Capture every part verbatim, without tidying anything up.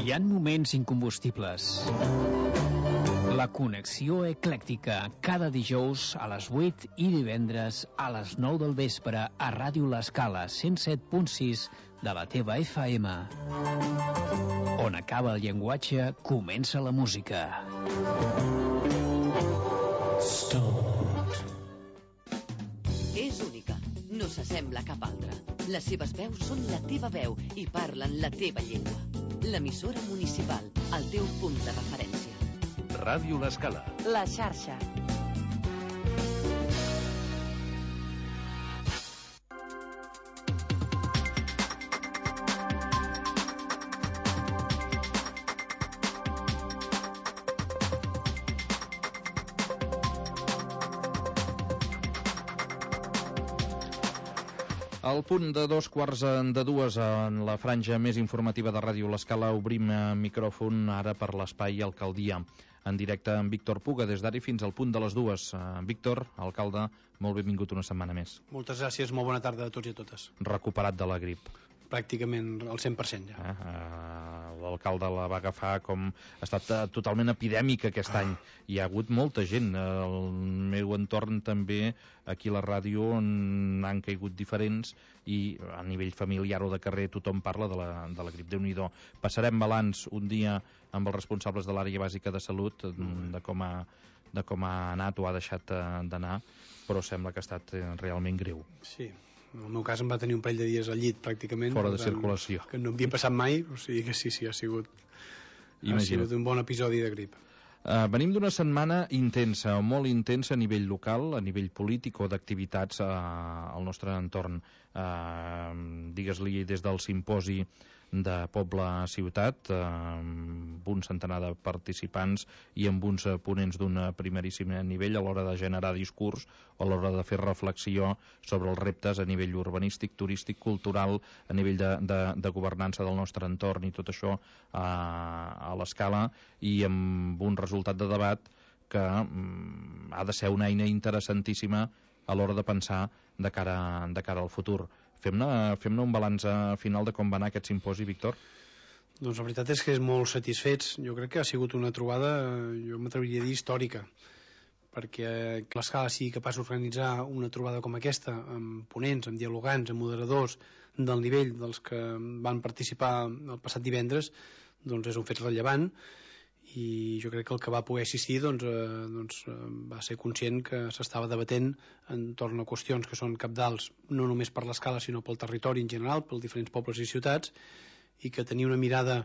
Hi ha moments incombustibles. La connexió eclèctica, cada dijous a les vuit i divendres a les nou del vespre a Ràdio L'Escala cent set punt sis de la teva F M. On acaba el llenguatge, comença la música. Stop. És única, no s'assembla a cap altra. Les seves veus són la teva veu i parlen la teva llengua. L'emissora municipal, el teu punt de referència. Ràdio L'Escala. La xarxa. Al punt de dos quarts de dues en la franja més informativa de Ràdio L'Escala obrim micròfon ara per l'espai Alcaldia. En directe amb Víctor Puga des d'ara fins al punt de les dues. Víctor, alcalde, molt benvingut una setmana més. Moltes gràcies, molt bona tarda a tots i a totes. Recuperat de la grip. Pràcticament al cent per cent ja. Eh, eh, l'alcalde la va agafar com... Ha estat uh, totalment epidèmica aquest ah. any. Hi ha hagut molta gent. El meu entorn també, aquí a la ràdio, han caigut diferents i a nivell familiar o de carrer tothom parla de la, de la grip. Déu-n'hi-do. Passarem balanç un dia amb els responsables de l'àrea bàsica de salut de com ha, de com ha anat o ha deixat d'anar, però sembla que ha estat realment greu. Sí. En el meu cas em va tenir un parell de dies al llit pràcticament. Fora de tant, circulació. Que no havia passat mai, o sigui que sí, sí, ha sigut, ha sigut un bon episodi de grip. Uh, venim d'una setmana intensa, o molt intensa a nivell local, a nivell polític o d'activitats uh, al nostre entorn. Uh, digues-li des del simposi de Poble a Ciutat, eh, amb un centenar de participants i amb uns ponents d'un primeríssim nivell a l'hora de generar discurs o a l'hora de fer reflexió sobre els reptes a nivell urbanístic, turístic, cultural, a nivell de, de, de governança del nostre entorn i tot això eh, a l'Escala, i amb un resultat de debat que mm, ha de ser una eina interessantíssima a l'hora de pensar de cara, de cara al futur. Fem-ne fem un balanç final de com va anar aquest simposi, Víctor? Doncs la veritat és que és molt satisfets. Jo crec que ha sigut una trobada, jo m'atreviria a dir, històrica, perquè l'Escala sigui capaç d'organitzar una trobada com aquesta, amb ponents, amb dialogants, amb moderadors del nivell dels que van participar el passat divendres, doncs és un fet rellevant, i jo crec que el que va poder assistir doncs, eh, doncs, eh, va ser conscient que s'estava debatent entorn a qüestions que són cabdals no només per l'Escala sinó pel territori en general, pels diferents pobles i ciutats, i que tenir una mirada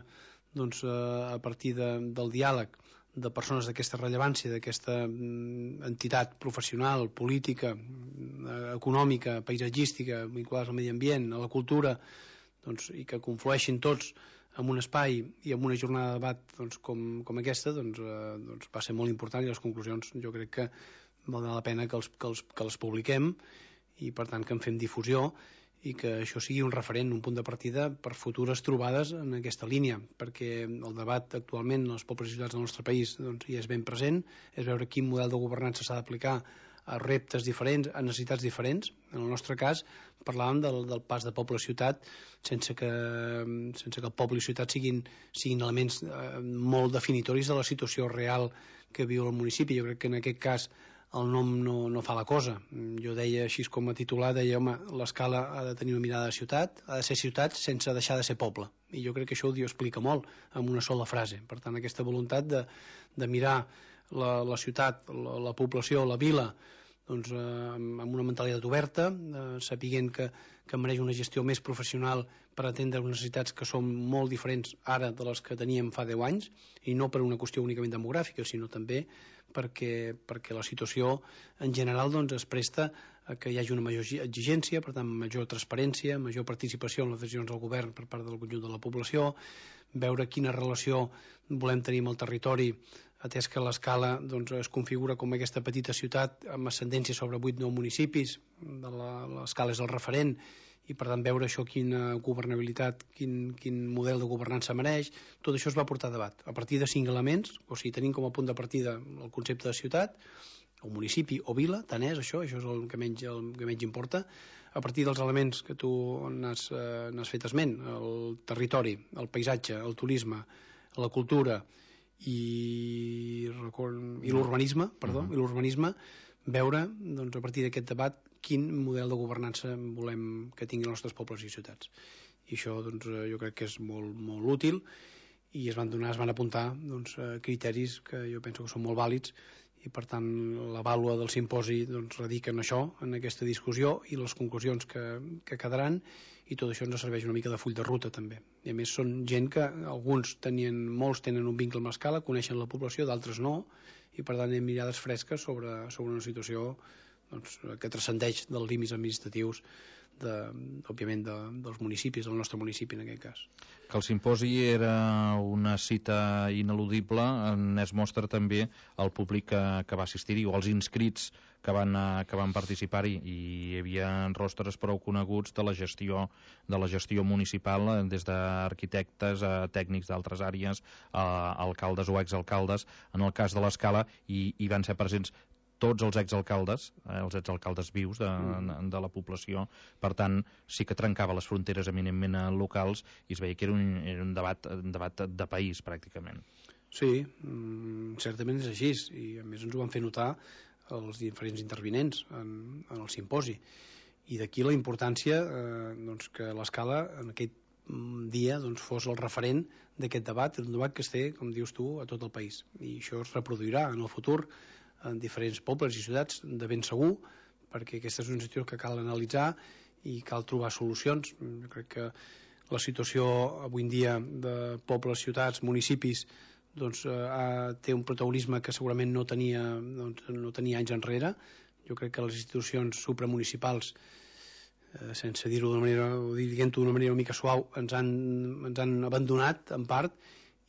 doncs, eh, a partir de, del diàleg de persones d'aquesta rellevància, d'aquesta mm, entitat professional, política, eh, econòmica, paisatgística, vinculades al medi ambient, a la cultura, doncs, i que conflueixin tots en un espai i en una jornada de debat doncs, com, com aquesta, doncs, eh, doncs va ser molt important, i les conclusions jo crec que valdrà la pena que, els, que, els, que les publiquem, i per tant que en fem difusió i que això sigui un referent, un punt de partida per futures trobades en aquesta línia, perquè el debat actualment en els pobles i ciutats del nostre país doncs, hi és ben present, és veure quin model de governança s'ha d'aplicar a reptes diferents, a necessitats diferents. En el nostre cas parlàvem del, del pas de poble a ciutat sense que, sense que el poble i ciutat siguin, siguin elements eh, molt definitoris de la situació real que viu el municipi. Jo crec que en aquest cas el nom no, no fa la cosa. Jo deia així com a titular, deia, home, l'Escala ha de tenir una mirada de ciutat, ha de ser ciutat sense deixar de ser poble, i jo crec que això ho explica molt amb una sola frase. Per tant, aquesta voluntat de, de mirar la, la ciutat, la, la població, la vila, doncs, eh, amb una mentalitat oberta, eh, sapiguent que, que mereix una gestió més professional per atendre unes necessitats que són molt diferents ara de les que teníem fa deu anys, i no per una qüestió únicament demogràfica, sinó també perquè, perquè la situació en general doncs, es presta a que hi hagi una major exigència, per tant major transparència, major participació en les decisions del govern per part del conjunt de la població, veure quina relació volem tenir amb el territori, atès que l'Escala doncs, es configura com aquesta petita ciutat amb ascendència sobre vuit nou municipis, l'Escala és el referent, i per tant veure això quina governabilitat, quin, quin model de governança mereix. Tot això es va portar a debat a partir de cinc elements, o sigui, tenim com a punt de partida el concepte de ciutat, o municipi o vila, tant és això, això és el que menys, el que menys importa. a partir dels elements que tu n'has eh, n'has fet esment, el territori, el paisatge, el turisme, la cultura i, i l'urbanisme, perdó, uh-huh. i l'urbanisme, veure doncs, a partir d'aquest debat quin model de governança volem que tinguin els nostres pobles i ciutats. I això doncs, jo crec que és molt, molt útil, i es van donar, es van apuntar doncs, criteris que jo penso que són molt vàlids, i per tant la vàlua del simposi doncs, radica en això, en aquesta discussió i les conclusions que, que quedaran, i tot això ens serveix una mica de full de ruta també. I a més són gent que alguns tenien, molts tenen un vincle amb l'escala, coneixen la població, d'altres no, i per tant hi ha mirades fresques sobre, sobre una situació doncs, que transcendeix dels límits administratius de, òbviament de, dels municipis, del nostre municipi en aquest cas. Que el simposi era una cita ineludible n'és mostra també el públic que, que va assistir-hi o els inscrits que van, que van participar-hi, i hi havia rostres prou coneguts de la gestió de la gestió municipal, des d'arquitectes a tècnics d'altres àrees, a alcaldes o exalcaldes. En el cas de l'Escala hi, hi van ser presents tots els exalcaldes, eh, els exalcaldes vius de, de la població. Per tant, sí que trencava les fronteres eminentment locals, i es veia que era un, era un, debat, un debat de país, pràcticament. Sí, mm, certament és així, i a més ens ho van fer notar els diferents intervinents en, en el simposi. I d'aquí la importància eh, doncs, que l'Escala en aquest dia doncs, fos el referent d'aquest debat, un debat que es té, com dius tu, a tot el país. I això es reproduirà en el futur en diferents pobles i ciutats, de ben segur, perquè aquesta és una situació que cal analitzar i cal trobar solucions. Jo crec que la situació avui en dia de pobles, ciutats, municipis doncs, eh, té un protagonisme que segurament no tenia, doncs, no tenia anys enrere. Jo crec que les institucions supramunicipals, eh, sense dir-ho d'una manera, o dient-ho d'una manera una mica suau, ens han, ens han abandonat en part,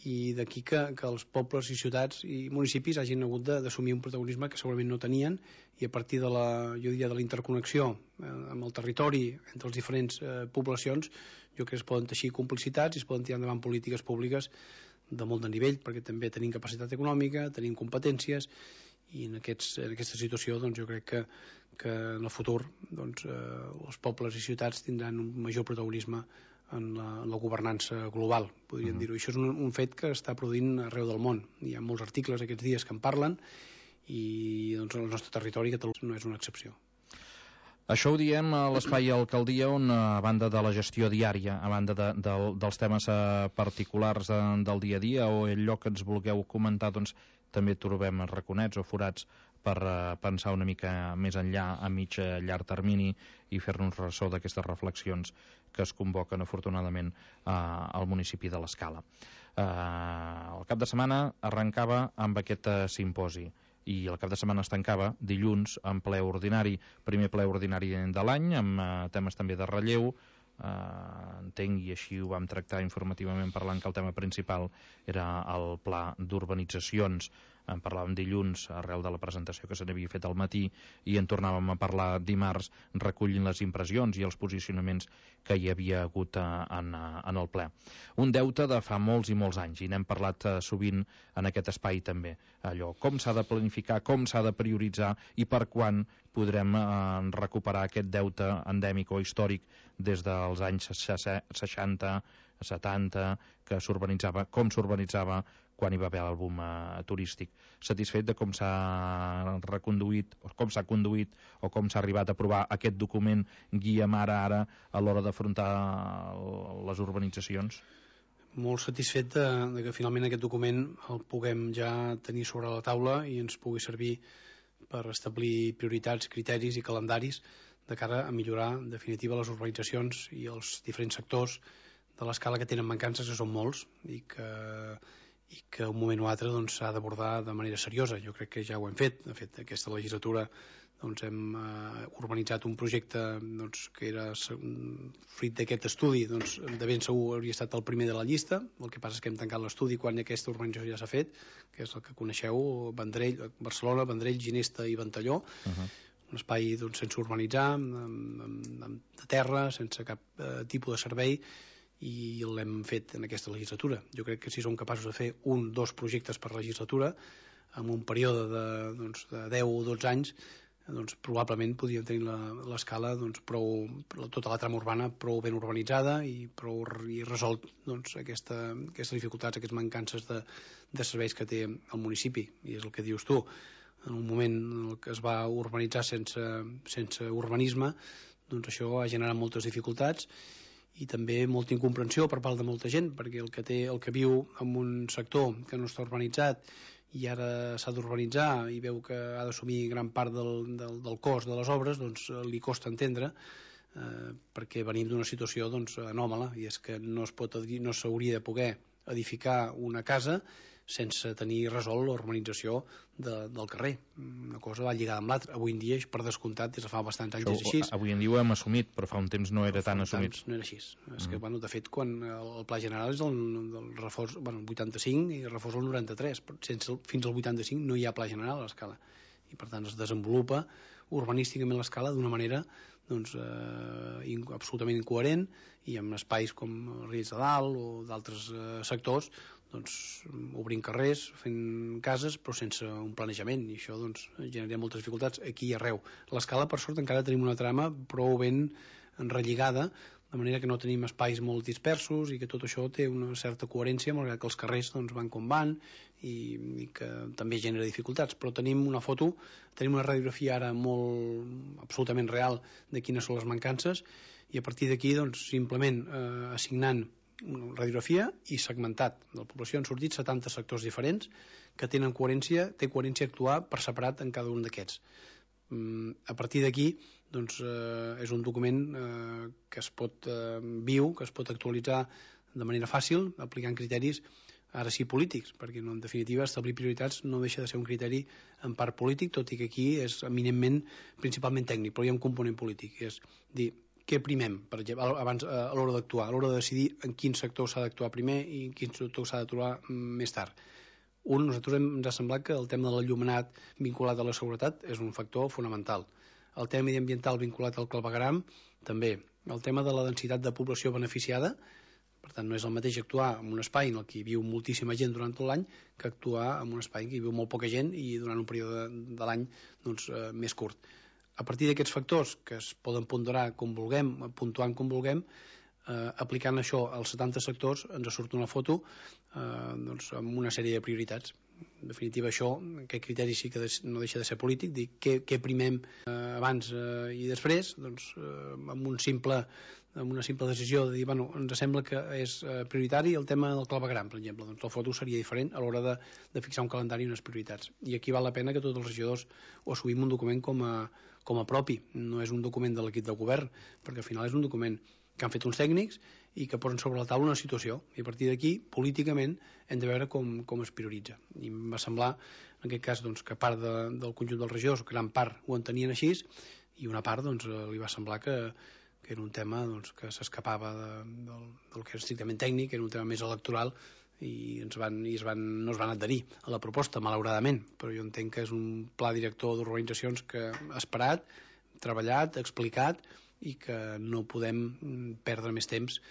i d'aquí que, que els pobles i ciutats i municipis hagin hagut d'assumir un protagonisme que segurament no tenien, i a partir de la, jo diria, de la interconnexió eh, amb el territori entre les diferents eh, poblacions, jo crec que es poden teixir complicitats i es poden tirar endavant polítiques públiques de molt de nivell, perquè també tenim capacitat econòmica, tenim competències, i en, aquests, en aquesta situació doncs, jo crec que, que en el futur doncs, eh, els pobles i ciutats tindran un major protagonisme en la, en la governança global, podríem uh-huh. dir-ho. Això és un, un fet que està produint arreu del món. Hi ha molts articles aquests dies que en parlen, i doncs, el nostre territori Catalunya no és una excepció. Això ho diem a l'Espai Alcaldia, on a banda de la gestió diària, a banda de, de, dels temes particulars de, del dia a dia o allò que ens vulgueu comentar, doncs també trobem raconets o forats per uh, pensar una mica més enllà, a mig a llarg termini, i fer-nos ressò d'aquestes reflexions que es convoquen afortunadament uh, al municipi de l'Escala. Uh, el cap de setmana arrencava amb aquest uh, simposi, i el cap de setmana es tancava dilluns en ple ordinari, primer ple ordinari de l'any, amb uh, temes també de relleu. Uh, entenc, i així ho vam tractar informativament, parlant que el tema principal era el pla d'urbanitzacions. En parlàvem dilluns arrel de la presentació que se n'havia fet al matí, i en tornàvem a parlar dimarts, recollint les impressions i els posicionaments que hi havia hagut en, en el ple. Un deute de fa molts i molts anys, i n'hem parlat sovint en aquest espai també. Allò, com s'ha de planificar, com s'ha de prioritzar, i per quan podrem eh, recuperar aquest deute endèmic o històric des dels anys seixanta, setanta, que s'urbanitzava, com s'urbanitzava quan hi va haver el boom eh, turístic. Satisfet de com s'ha reconduït, o com s'ha conduït, o com s'ha arribat a aprovar aquest document guia mare ara a l'hora d'afrontar les urbanitzacions? Molt satisfet de, de que finalment aquest document el puguem ja tenir sobre la taula i ens pugui servir per establir prioritats, criteris i calendaris de cara a millorar en definitiva les urbanitzacions i els diferents sectors de l'Escala que tenen mancances, que són molts, i que i que un moment o altre doncs, s'ha d'abordar de manera seriosa. Jo crec que ja ho hem fet. De fet, aquesta legislatura doncs, hem eh, urbanitzat un projecte doncs, que era fruit d'aquest estudi, doncs, de ben segur hauria estat el primer de la llista. El que passa és que hem tancat l'estudi quan aquesta urbanització ja s'ha fet, que és el que coneixeu, Vendrell, Barcelona, Vendrell, Ginesta i Ventalló. Uh-huh. Un espai doncs, sense urbanitzar, amb, amb, amb, de terra, sense cap eh, tipus de servei, i l'hem fet en aquesta legislatura. Jo crec que si som capaços de fer un, dos projectes per legislatura, en un període de, doncs, de deu o dotze anys, doncs, probablement podríem tenir l'escala doncs, prou, tota la trama urbana prou ben urbanitzada i prou i resolt doncs, aquesta, aquestes dificultats, aquestes mancances de, de serveis que té el municipi. I és el que dius tu, en un moment en què es va urbanitzar sense, sense urbanisme, doncs això ha generat moltes dificultats i també molta incomprensió per part de molta gent, perquè el que, té, el que viu en un sector que no està urbanitzat i ara s'ha d'urbanitzar i veu que ha d'assumir gran part del, del, del cost de les obres, doncs li costa entendre, eh, perquè venim d'una situació doncs, anòmala, i és que no es pot no s'hauria de poder edificar una casa sense tenir resolt l'urbanització de, del carrer. Una cosa va lligada amb l'altra. Avui en dia, per descomptat, des de fa bastants anys és així. Avui en dia ho hem assumit, però fa un temps no era tan assumit. No era així. Mm. És que, bueno, de fet, quan el Pla General és del, del reforç, bueno, el vuitanta-cinc i el reforç el noranta-tres, sense, fins al vuitanta-cinc no hi ha Pla General a l'escala. I, per tant, es desenvolupa urbanísticament l'escala d'una manera doncs, eh, in, absolutament incoherent, i amb espais com Riells de Dalt o d'altres eh, sectors doncs, obrint carrers, fent cases, però sense un planejament, i això doncs, genera moltes dificultats aquí i arreu. L'escala, per sort, encara tenim una trama prou ben relligada, de manera que no tenim espais molt dispersos i que tot això té una certa coherència, malgrat que els carrers doncs, van com van i, i que també genera dificultats. Però tenim una foto, tenim una radiografia ara molt absolutament real de quines són les mancances, i a partir d'aquí doncs, simplement eh, assignant una radiografia i segmentat de la població han sortit setanta sectors diferents que tenen coherència, té coherència actuar per separat en cada un d'aquests. Mm, a partir d'aquí doncs, eh, és un document eh, que es pot eh, viu, que es pot actualitzar de manera fàcil, aplicant criteris ara sí polítics, perquè no, en definitiva establir prioritats no deixa de ser un criteri en part polític, tot i que aquí és eminentment principalment tècnic, però hi ha un component polític, és dir, què primem, per exemple, abans, a l'hora d'actuar, a l'hora de decidir en quin sector s'ha d'actuar primer i en quin sector s'ha d'actuar més tard. Un, nosaltres hem, ens ha semblat que el tema de l'enllumenat vinculat a la seguretat és un factor fonamental. El tema mediambiental vinculat al clavegueram, també. El tema de la densitat de població beneficiada, per tant, no és el mateix actuar en un espai en el que hi viu moltíssima gent durant tot l'any que actuar en un espai en què hi viu molt poca gent i durant un període de, de l'any doncs, eh, més curt. A partir d'aquests factors, que es poden ponderar com vulguem, puntuant com vulguem, eh, aplicant això als setanta sectors, ens surt una foto eh, doncs, amb una sèrie de prioritats. En definitiva, això, aquest criteri sí que no deixa de ser polític, dir què, què primem eh, abans eh, i després, doncs, eh, amb, un simple, amb una simple decisió de dir, bueno, ens sembla que és eh, prioritari el tema del clavegueram, per exemple, doncs la foto seria diferent a l'hora de, de fixar un calendari i unes prioritats. I aquí val la pena que tots els regidors ho assumim un document com a, com a propi, no és un document de l'equip de govern, perquè al final és un document que han fet uns tècnics i que posen sobre la taula una situació, i a partir d'aquí, políticament, hem de veure com, com es prioritza. I em va semblar, en aquest cas, doncs, que part de, del conjunt dels regidors, gran part ho entenien així, i una part doncs, li va semblar que, que era un tema doncs, que s'escapava de, del, del que era estrictament tècnic, era un tema més electoral, i, ens van, i es van, no es van adherir a la proposta, malauradament, però jo entenc que és un pla director d'urbanitzacions que ha esperat, treballat, explicat, i que no podem perdre més temps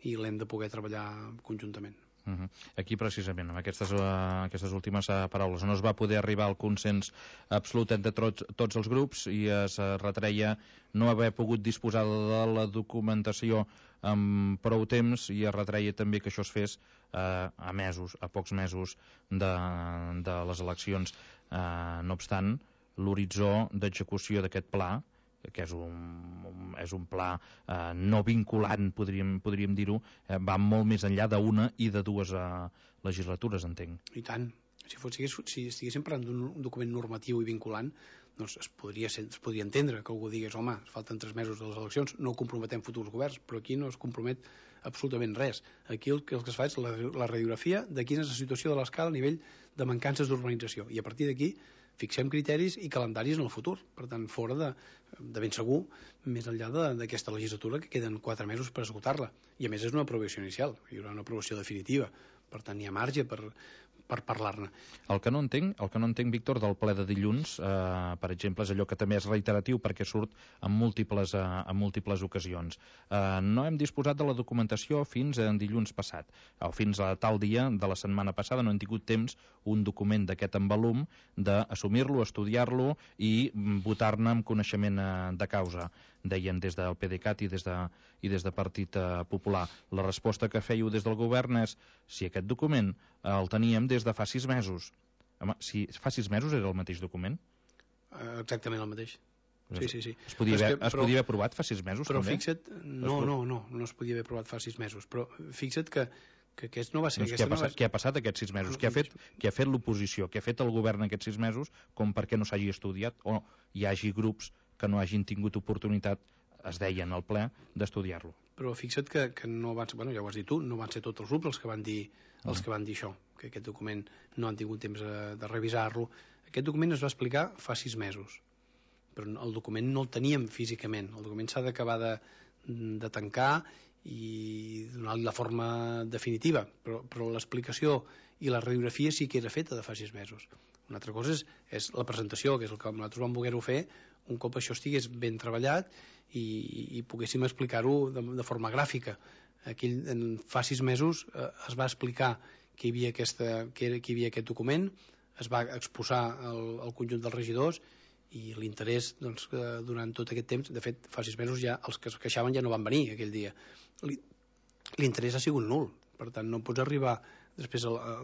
i l'hem de poder treballar conjuntament. Uh-huh. Aquí precisament, amb aquestes, uh, aquestes últimes uh, paraules, no es va poder arribar al consens absolut entre tots, tots els grups i es uh, retreia no haver pogut disposar de la documentació amb prou temps, i es retreia també que això es fes uh, a mesos, a pocs mesos de, de les eleccions. Uh, no obstant, l'horitzó d'execució d'aquest pla, que és un, és un pla eh, no vinculant, podríem, podríem dir-ho, eh, va molt més enllà d'una i de dues eh, legislatures, entenc. I tant. Si, fos, si estiguéssim parlant d'un document normatiu i vinculant, doncs es podria, ser, es podria entendre que algú digués, home, falten tres mesos de les eleccions, no comprometem futurs governs, però aquí no es compromet absolutament res. Aquí el que, el que es fa és la, la radiografia de quina és la situació de l'escala a nivell de mancances d'urbanització, i a partir d'aquí fixem criteris i calendaris en el futur. Per tant, fora de, de ben segur, més enllà d'aquesta legislatura, que queden quatre mesos per esgotar-la. I a més és una aprovació inicial, hi haurà una aprovació definitiva. Per tant, hi ha marge per, per parlar-ne. El que no entenc, el que no entenc, Víctor, del ple de dilluns, eh, per exemple, és allò que també és reiteratiu perquè surt en múltiples, eh, en múltiples ocasions. Eh, no hem disposat de la documentació fins en dilluns passat, o fins a tal dia de la setmana passada no hem tingut temps un document d'aquest envolum d'assumir-lo, estudiar-lo i votar-ne amb coneixement eh, de causa, deien des del PDeCAT i des de, i des de Partit eh, Popular. La resposta que fèieu des del govern és si aquest document eh, el teníem des de fa sis mesos. Home, si fa sis mesos era el mateix document? Uh, exactament el mateix. Sí, sí, sí. Es podia, haver, que, es però, podia haver aprovat fa sis mesos, però també? Però fixa't, no, no, no, no es podia haver aprovat fa sis mesos, però fixa't que, que aquest no va ser... Doncs què ha, passat, no va... què ha passat aquests sis mesos? Què ha fet, què ha fet l'oposició? Què ha fet el govern aquests sis mesos com perquè no s'hagi estudiat o hi hagi grups que no hagin tingut oportunitat, es deien al ple, d'estudiar-lo? Però fixa't que, que no van ser, bueno, ja ho has dit tu, no van ser tots els grups els que van dir, els que van dir això, que aquest document no han tingut temps de, de revisar-lo. Aquest document es va explicar fa sis mesos, però el document no el teníem físicament. El document s'ha d'acabar de, de tancar i donar-li la forma definitiva, però, però l'explicació i la radiografia sí que era feta de fa sis mesos. Una altra cosa és, és la presentació, que és el que nosaltres vam voler-ho fer un cop això estigués ben treballat i, i poguéssim explicar-ho de, de forma gràfica. Aquell, en, fa sis mesos eh, es va explicar que hi havia, aquesta, que, era, que hi havia aquest document, es va exposar el, el conjunt dels regidors i l'interès doncs, durant tot aquest temps, de fet fa sis mesos ja els que es queixaven ja no van venir aquell dia. L'interès ha sigut nul, per tant no pots arribar després a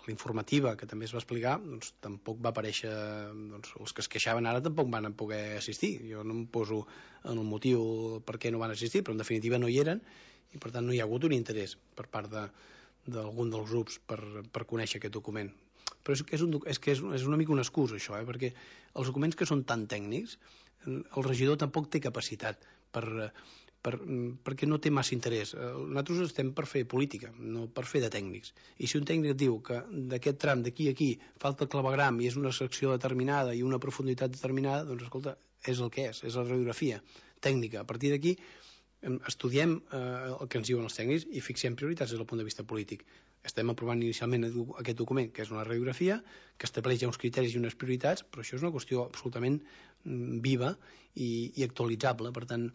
l'informativa que també es va explicar, doncs tampoc va aparèixer, doncs els que es queixaven ara tampoc van poder assistir. Jo no em poso en el motiu per què no van assistir, però en definitiva no hi eren i per tant no hi ha hagut un interès per part de, d'algun dels grups per, per conèixer aquest document. Però és que és, un, és, que és, és una mica una excusa això, eh? Perquè els documents que són tan tècnics el regidor tampoc té capacitat per, per, perquè no té massa interès. Nosaltres estem per fer política, no per fer de tècnics. I si un tècnic diu que d'aquest tram d'aquí a aquí falta el clavegram i és una secció determinada i una profunditat determinada, doncs escolta, és el que és, és la radiografia tècnica. A partir d'aquí estudiem eh, el que ens diuen els tècnics i fixem prioritats des del punt de vista polític. Estem aprovant inicialment aquest document, que és una radiografia, que estableix ja uns criteris i unes prioritats, però això és una qüestió absolutament viva i, i actualitzable. Per tant,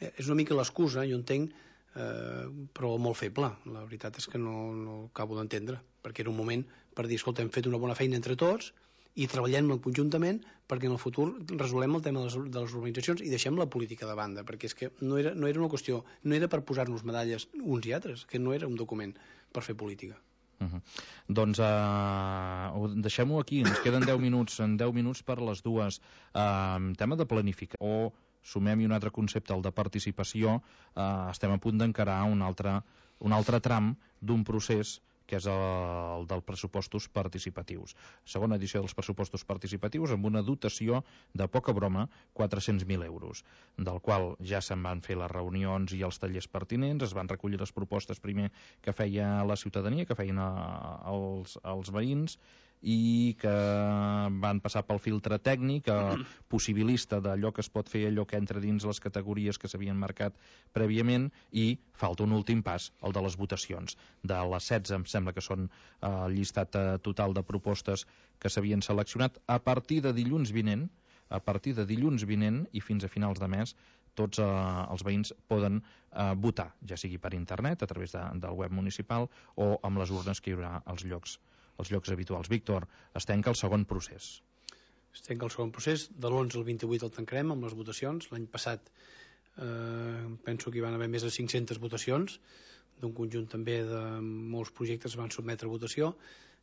és una mica l'excusa, jo entenc, eh, però molt feble. La veritat és que no, no acabo d'entendre, perquè era un moment per dir, escolta, hem fet una bona feina entre tots i treballem conjuntament perquè en el futur resolem el tema de les, de les urbanitzacions i deixem la política de banda, perquè és que no era, no era una qüestió, no era per posar-nos medalles uns i altres, que no era un document per fer política. Uh -huh. Doncs uh, deixem-ho aquí, ens queden deu minuts, en deu minuts per les dues. Uh, tema de planificar o sumem-hi un altre concepte, el de participació. Uh, estem a punt d'encarar un altre, un altre tram d'un procés que és el dels pressupostos participatius. Segona edició dels pressupostos participatius amb una dotació de poca broma, quatre-cents mil euros, del qual ja se'n van fer les reunions i els tallers pertinents, es van recollir les propostes primer que feia la ciutadania, que feien els, els veïns, i que van passar pel filtre tècnic, eh, possibilista d'allò que es pot fer, allò que entra dins les categories que s'havien marcat prèviament, i falta un últim pas, el de les votacions. De les setze, em sembla que són eh, el llistat eh, total de propostes que s'havien seleccionat. A partir de dilluns vinent, a partir de dilluns vinent i fins a finals de mes, tots eh, els veïns poden eh, votar, ja sigui per internet, a través de, del web municipal, o amb les urnes que hi haurà als llocs els llocs habituals. Víctor, es tanca el segon procés. Es tanca el segon procés, de l'onze al vint-i-vuit el tancarem amb les votacions. L'any passat eh, penso que hi van haver més de cinc-centes votacions, d'un conjunt també de molts projectes que van sotmetre a votació.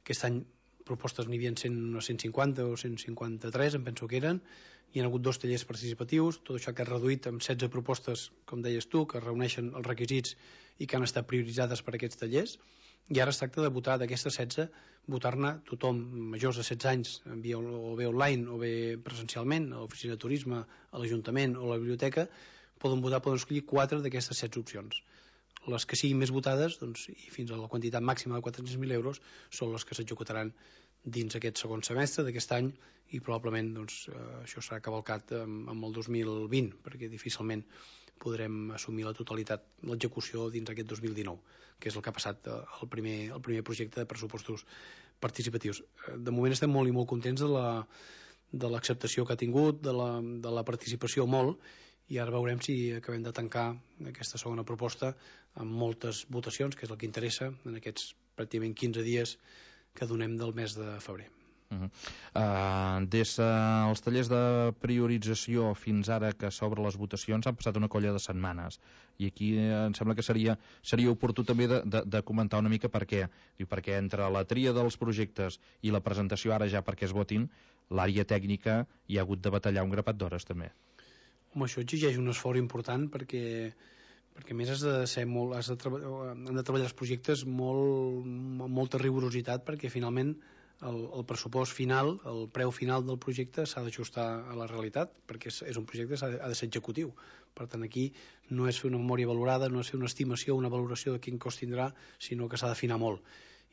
Aquest any propostes n'hi havia cent cinquanta o cent cinquanta-tres, em penso que eren. Hi ha hagut dos tallers participatius, tot això que ha reduït amb setze propostes, com deies tu, que reuneixen els requisits i que han estat prioritzades per aquests tallers. I ara es tracta de votar d'aquestes setze, votar-ne tothom majors de setze anys, via, o bé online o bé presencialment, a l'oficina de turisme, a l'Ajuntament o a la biblioteca, poden votar, poden escollir quatre d'aquestes setze opcions. Les que siguin més votades, doncs, i fins a la quantitat màxima de quatre-cents mil euros, són les que s'executaran dins aquest segon semestre d'aquest any i probablement doncs, eh, això serà cavalcat amb, amb el dos mil vint, perquè difícilment podrem assumir la totalitat, l'execució dins aquest dos mil dinou, que és el que ha passat el primer, el primer projecte de pressupostos participatius. De moment estem molt i molt contents de la, de l'acceptació que ha tingut, de la, de la participació molt, i ara veurem si acabem de tancar aquesta segona proposta amb moltes votacions, que és el que interessa en aquests pràcticament quinze dies que donem del mes de febrer. Uh -huh. uh, des dels uh, tallers de priorització fins ara que s'obren les votacions han passat una colla de setmanes, i aquí eh, em sembla que seria, seria oportú també de, de, de comentar una mica per què. Diu, perquè entre la tria dels projectes i la presentació ara ja perquè es votin, l'àrea tècnica hi ha hagut de batallar un grapat d'hores també. Home, això exigeix un esforç important perquè perquè a més has de ser molt, has de han de treballar els projectes molt, amb molta rigorositat, perquè finalment el, el pressupost final, el preu final del projecte s'ha d'ajustar a la realitat, perquè és, és un projecte que ha de, ha de ser executiu. Per tant, aquí no és fer una memòria valorada, no és fer una estimació, una valoració de quin cost tindrà, sinó que s'ha d'afinar molt.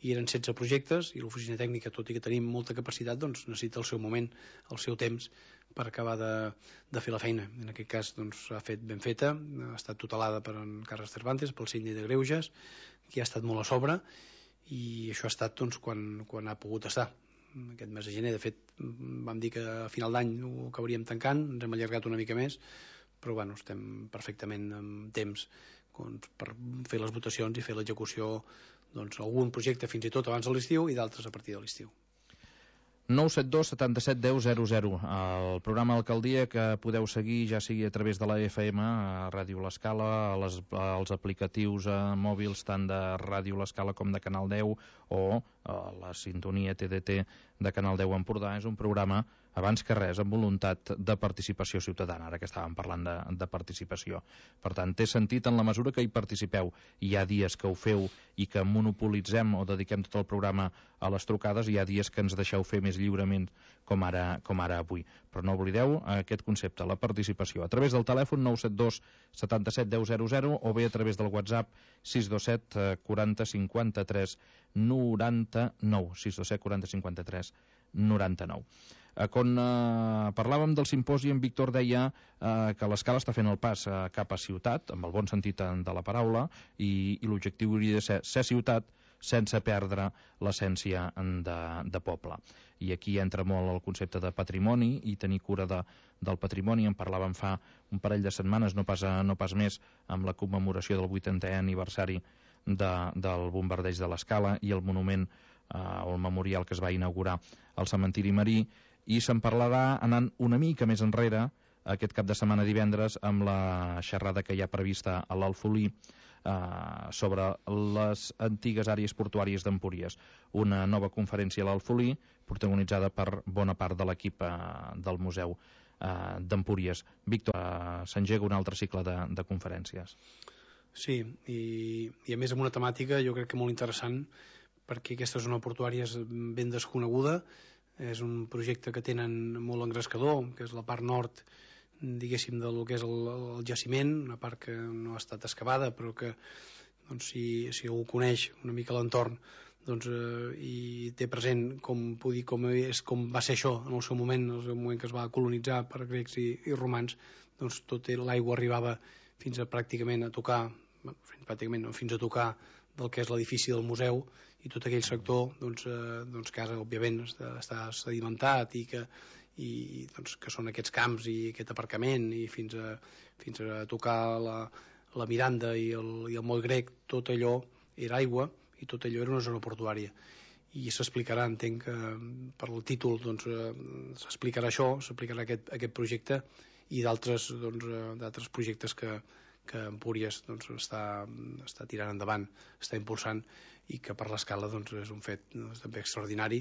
I eren setze projectes, i l'oficina tècnica, tot i que tenim molta capacitat, doncs necessita el seu moment, el seu temps per acabar de, de fer la feina. En aquest cas doncs s'ha fet ben feta, ha estat tutelada per en Carles Cervantes, pel síndic de Greuges, que ha estat molt a sobre, i això ha estat doncs, quan, quan ha pogut estar. Aquest mes de gener, de fet, vam dir que a final d'any ho acabaríem tancant, ens hem allargat una mica més, però bueno, estem perfectament en temps doncs, per fer les votacions i fer l'execució, doncs algun projecte fins i tot abans de l'estiu i d'altres a partir de l'estiu. nou set dos setanta-set deu zero zero, el programa Alcaldia que podeu seguir ja sigui a través de la F M, a Ràdio L'Escala, les, als aplicatius a mòbils tant de Ràdio L'Escala com de Canal deu, o a la sintonia T D T de Canal deu Empordà. És un programa, abans que res, amb voluntat de participació ciutadana, ara que estàvem parlant de, de participació. Per tant, té sentit en la mesura que hi participeu. Hi ha dies que ho feu i que monopolitzem o dediquem tot el programa a les trucades, i hi ha dies que ens deixeu fer més lliurement, com ara, com ara avui. Però no oblideu aquest concepte, la participació, a través del telèfon nou set dos setanta-set deu zero zero o bé a través del WhatsApp sis dos set quaranta cinquanta-tres noranta-nou, sis dos set quaranta cinquanta-tres noranta-nou. Eh, quan eh, parlàvem del simposi, en Víctor deia eh, que l'Escala està fent el pas eh, cap a ciutat, amb el bon sentit de la paraula, i, i l'objectiu hauria de ser ser ciutat sense perdre l'essència de, de poble. I aquí entra molt el concepte de patrimoni i tenir cura de, del patrimoni. En parlàvem fa un parell de setmanes, no pas, no pas més, amb la commemoració del vuitantè aniversari de, del bombardeig de l'Escala i el monument eh, o el memorial que es va inaugurar al cementiri marí, i se'n parlarà anant una mica més enrere aquest cap de setmana divendres amb la xerrada que hi ha prevista a l'Alfolí eh, sobre les antigues àrees portuàries d'Empúries, una nova conferència a l'Alfolí protagonitzada per bona part de l'equip eh, del Museu eh, d'Empúries. Víctor, eh, s'engega un altre cicle de, de conferències. Sí, i, i a més amb una temàtica jo crec que molt interessant, perquè aquesta zona portuària és ben desconeguda, és un projecte que tenen molt engrescador, que és la part nord, diguéssim, del que és el, el jaciment, una part que no ha estat excavada, però que doncs, si, si algú coneix una mica l'entorn doncs, eh, i té present com, puc dir, com, és, com va ser això en el seu moment, en el seu moment que es va colonitzar per grecs i, i romans, doncs tot l'aigua arribava fins a pràcticament a tocar, pràcticament no, fins a tocar del que és l'edifici del museu, i tot aquell sector doncs, eh, doncs que ara òbviament està, està sedimentat i que, i, doncs, que són aquests camps i aquest aparcament i fins a, fins a tocar la, la Miranda i el, i el moll grec, tot allò era aigua i tot allò era una zona portuària, i s'explicarà, entenc que per el títol doncs, eh, s'explicarà això, s'explicarà aquest, aquest projecte i d'altres doncs, d'altres projectes que, que Empúries doncs, està, està tirant endavant, està impulsant, i que per l'Escala doncs, és un fet doncs, també extraordinari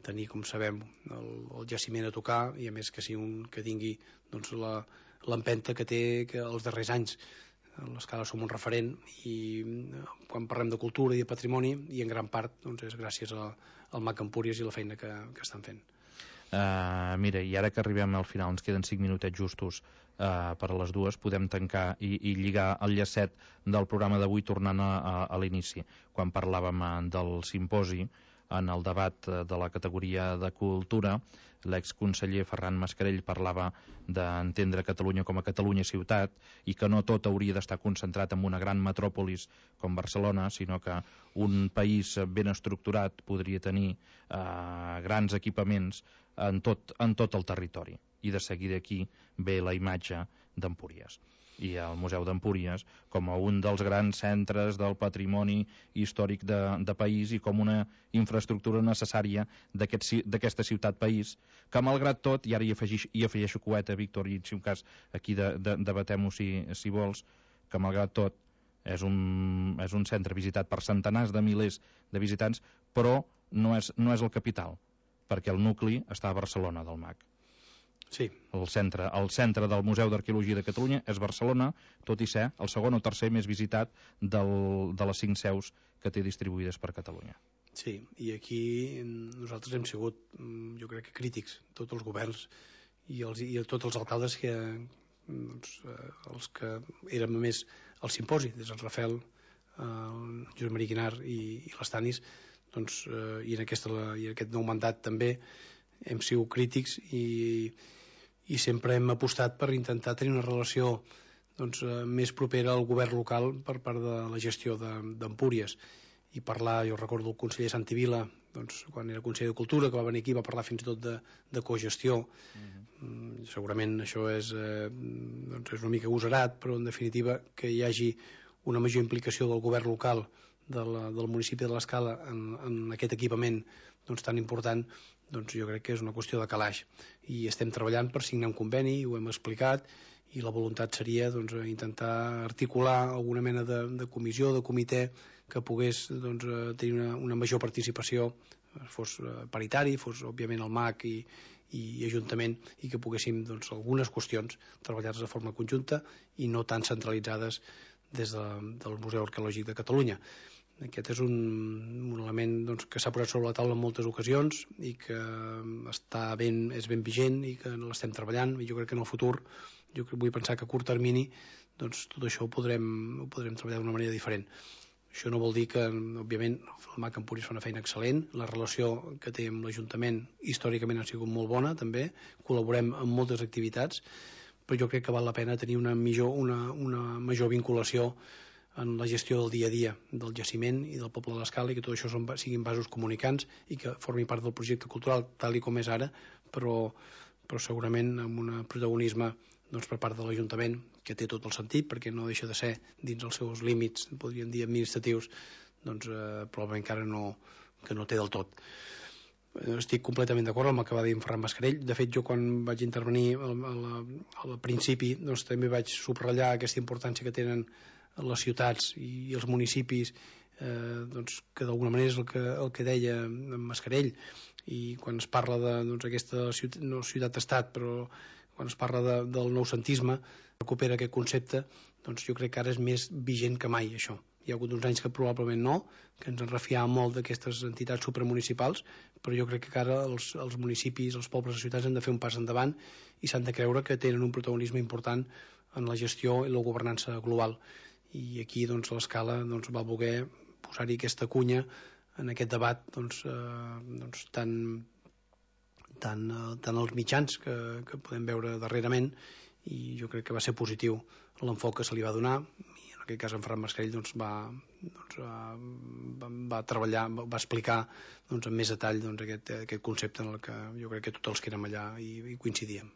tenir, com sabem, el, el jaciment a tocar, i a més que, sigui un, que tingui doncs, l'empenta que té que els darrers anys. L'Escala som un referent, i quan parlem de cultura i de patrimoni, i en gran part doncs, és gràcies a, al M A C Empúries i la feina que, que estan fent. Uh, mira, i ara que arribem al final, ens queden cinc minutets justos uh, per a les dues, podem tancar i, i lligar el llacet del programa d'avui tornant a, a, a l'inici, quan parlàvem uh, del simposi. en el debat de la categoria de cultura, l'exconseller Ferran Mascarell parlava d'entendre Catalunya com a Catalunya ciutat i que no tot hauria d'estar concentrat en una gran metròpolis com Barcelona, sinó que un país ben estructurat podria tenir eh, grans equipaments en tot, en tot el territori. I de seguir d'aquí ve la imatge d'Empúries i el Museu d'Empúries com a un dels grans centres del patrimoni històric de, de país i com una infraestructura necessària d'aquesta ciutat-país, que malgrat tot, i ara hi afegeixo, hi afegeixo coeta, Víctor, i si un cas aquí de, de, debatem-ho si, si vols, que malgrat tot és un, és un centre visitat per centenars de milers de visitants, però no és, no és el capital, perquè el nucli està a Barcelona del M A C. Sí. El centre, el centre del Museu d'Arqueologia de Catalunya és Barcelona, tot i ser el segon o tercer més visitat del, de les cinc seus que té distribuïdes per Catalunya. Sí, i aquí nosaltres hem sigut, jo crec que crítics, tots els governs i, els, i tots els alcaldes que, doncs, els que érem a més al simposi, des del Rafel, el Josep Maria Guinar i, i l'Estanis, doncs, eh, i, en aquesta, i en aquest nou mandat també hem sigut crítics i, i sempre hem apostat per intentar tenir una relació doncs, eh, més propera al govern local per part de la gestió d'Empúries i parlar, jo recordo el conseller Santi Vila, doncs, quan era conseller de Cultura, que va venir aquí, va parlar fins i tot de, de cogestió. Uh-huh. mm, segurament això és, eh, doncs és una mica agosarat, però en definitiva que hi hagi una major implicació del govern local de la, del municipi de l'Escala en, en aquest equipament doncs, tan important, doncs jo crec que és una qüestió de calaix i estem treballant per signar un conveni, ho hem explicat, i la voluntat seria doncs, intentar articular alguna mena de, de comissió, de comitè que pogués doncs, tenir una, una major participació, fos paritari, fos òbviament el M A C i, i Ajuntament, i que poguéssim doncs, algunes qüestions treballar-les de forma conjunta i no tan centralitzades des de, del Museu Arqueològic de Catalunya. Aquest és un, un element doncs, que s'ha posat sobre la taula en moltes ocasions i que està ben, és ben vigent i que l'estem treballant, i jo crec que en el futur, jo vull pensar que a curt termini doncs, tot això ho podrem, ho podrem treballar d'una manera diferent. Això no vol dir que, òbviament, el M A C Empúries fa una feina excel·lent, la relació que té amb l'Ajuntament històricament ha sigut molt bona també, col·laborem en moltes activitats, però jo crec que val la pena tenir una, millor, una, una major vinculació en la gestió del dia a dia del jaciment i del poble de l'Escala, i que tot això són, siguin vasos comunicants i que formin part del projecte cultural tal i com és ara, però, però segurament amb un protagonisme doncs, per part de l'Ajuntament, que té tot el sentit, perquè no deixa de ser dins els seus límits, podríem dir administratius, doncs eh, probablement encara no, que no té del tot. Estic completament d'acord amb el que va dir en Ferran Mascarell. De fet, jo quan vaig intervenir al, al, al principi doncs, també vaig subratllar aquesta importància que tenen les ciutats i els municipis, eh, doncs, que d'alguna manera és el que, el que deia en Mascarell, i quan es parla de doncs, aquesta ciutat, no ciutat-estat, però quan es parla de, del noucentisme, recupera aquest concepte, doncs jo crec que ara és més vigent que mai això. Hi ha hagut uns anys que probablement no, que ens en refiàvem molt d'aquestes entitats supramunicipals, però jo crec que ara els, els municipis, els pobles i ciutats han de fer un pas endavant i s'han de creure que tenen un protagonisme important en la gestió i la governança global. I aquí doncs, l'Escala doncs, va voler posar-hi aquesta cunya en aquest debat doncs, eh, doncs, tan, tan, eh, tan als mitjans que, que podem veure darrerament, i jo crec que va ser positiu l'enfoc que se li va donar, i en aquest cas en Ferran Mascarell doncs, va, doncs, va, va treballar, va explicar doncs, amb més detall doncs, aquest, aquest concepte en el que jo crec que tots els que érem allà i, i coincidíem.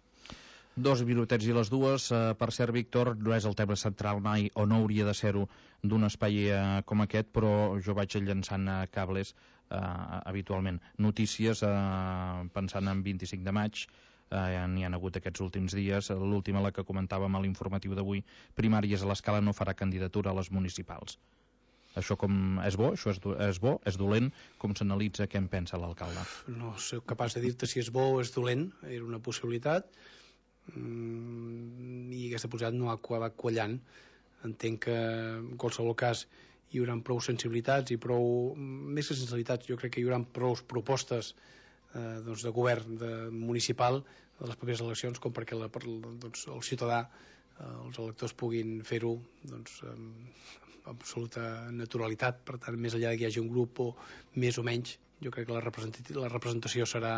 Dos minutets i les dues. Uh, per cert, Víctor, no és el tema central mai, o no hauria de ser-ho, d'un espai uh, com aquest, però jo vaig llançant uh, cables uh, habitualment. Notícies, uh, pensant en vint-i-cinc de maig, uh, n'hi ha hagut aquests últims dies. L'última, la que comentàvem a l'informatiu d'avui, Primàries a l'Escala no farà candidatura a les municipals. Això com és bo? Això és, és bo? És dolent? Com s'analitza? Què en pensa l'alcalde? No soc capaç de dir-te si és bo o és dolent. Era una possibilitat. Mm, i aquesta possibilitat no ha acabat quallant. Entenc que en qualsevol cas hi haurà prou sensibilitats i prou, més que sensibilitats, jo crec que hi haurà prou propostes eh, doncs de govern de municipal de les properes eleccions com perquè la, per, doncs, el ciutadà, eh, els electors puguin fer-ho doncs, amb, absoluta naturalitat. Per tant, més enllà que hi hagi un grup o més o menys, jo crec que la representació, la representació serà,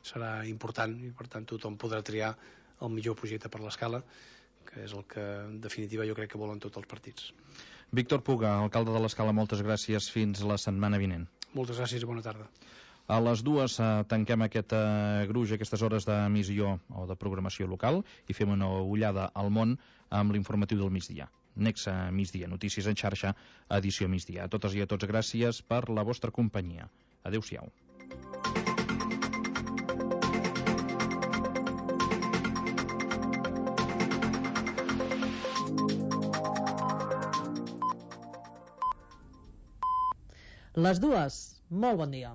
serà important i per tant tothom podrà triar el millor projecte per l'Escala, que és el que en definitiva jo crec que volen tots els partits. Víctor Puga, alcalde de l'Escala, moltes gràcies, fins la setmana vinent. Moltes gràcies i bona tarda. A les dues eh, tanquem aquest eh, gruix, aquestes hores d'emissió o de programació local i fem una ullada al món amb l'informatiu del migdia. Nexa Migdia, notícies en xarxa, edició migdia. A totes i a tots gràcies per la vostra companyia. Adéu-siau. Les dues, molt bon dia.